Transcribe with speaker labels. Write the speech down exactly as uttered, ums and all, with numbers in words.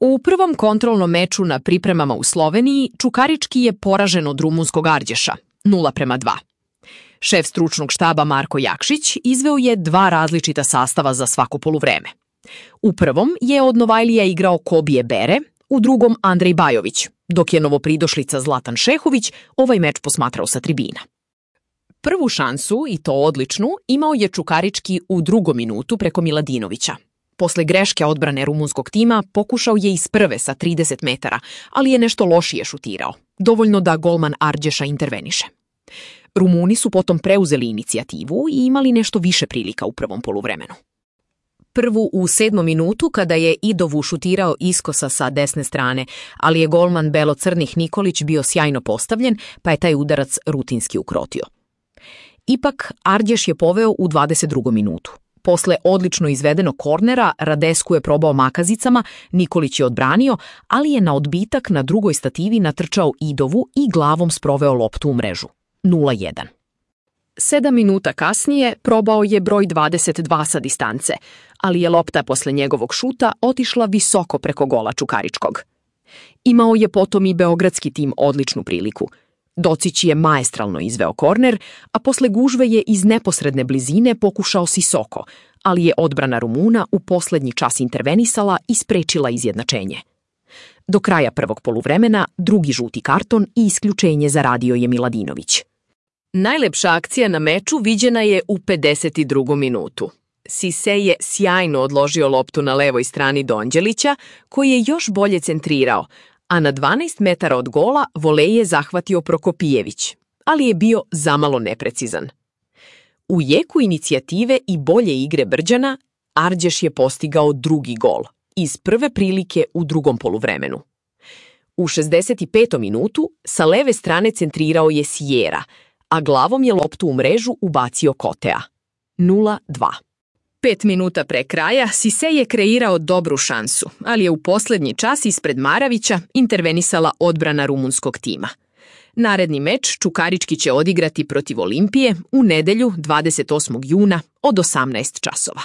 Speaker 1: U prvom kontrolnom meču na pripremama u Sloveniji Čukarički je poražen od rumunskog Ardješa, nula prema dva. Šef stručnog štaba Marko Jakšić izveo je dva različita sastava za svako poluvreme. U prvom je od Novajlija igrao Kobije Bere, u drugom Andrej Bajović, dok je novopridošlica Zlatan Šehović ovaj meč posmatrao sa tribina. Prvu šansu, i to odličnu, imao je Čukarički u drugom minutu preko Miladinovića. Posle greške odbrane rumunskog tima pokušao je iz prve sa trideset metara, ali je nešto lošije šutirao, dovoljno da golman Ardješa interveniše. Rumuni su potom preuzeli inicijativu i imali nešto više prilika u prvom poluvremenu. Prvu u sedmom minutu kada je Idovu šutirao iskosa sa desne strane, ali je golman belo-crnih Nikolić bio sjajno postavljen, pa je taj udarac rutinski ukrotio. Ipak, Ardješ je poveo u dvadeset drugom minutu. Posle odlično izvedenog kornera, Radesku je probao makazicama, Nikolić je odbranio, ali je na odbitak na drugoj stativi natrčao Idovu i glavom sproveo loptu u mrežu. nula jedan. Sedam minuta kasnije probao je broj dvadeset dva sa distance, ali je lopta posle njegovog šuta otišla visoko preko gola Čukaričkog. Imao je potom i beogradski tim odličnu priliku. Docić je maestralno izveo korner, a posle gužve je iz neposredne blizine pokušao Sisoko, ali je odbrana Rumuna u poslednji čas intervenisala i sprečila izjednačenje. Do kraja prvog poluvremena drugi žuti karton i isključenje zaradio je Miladinović. Najlepša akcija na meču viđena je u pedeset drugom minutu. Sise je sjajno odložio loptu na levoj strani Donđelića, koji je još bolje centrirao, a na dvanaest metara od gola volej je zahvatio Prokopijević, ali je bio zamalo neprecizan. U jeku inicijative i bolje igre Brđana, Ardješ je postigao drugi gol, iz prve prilike u drugom poluvremenu. U šezdeset petom minutu sa leve strane centrirao je Sijera, a glavom je loptu u mrežu ubacio Kotea. nula dva. Pet minuta pre kraja Sise je kreirao dobru šansu, ali je u poslednji čas ispred Maravića intervenisala odbrana rumunskog tima. Naredni meč Čukarički će odigrati protiv Olimpije u nedelju dvadeset osmog juna od osamnaest časova.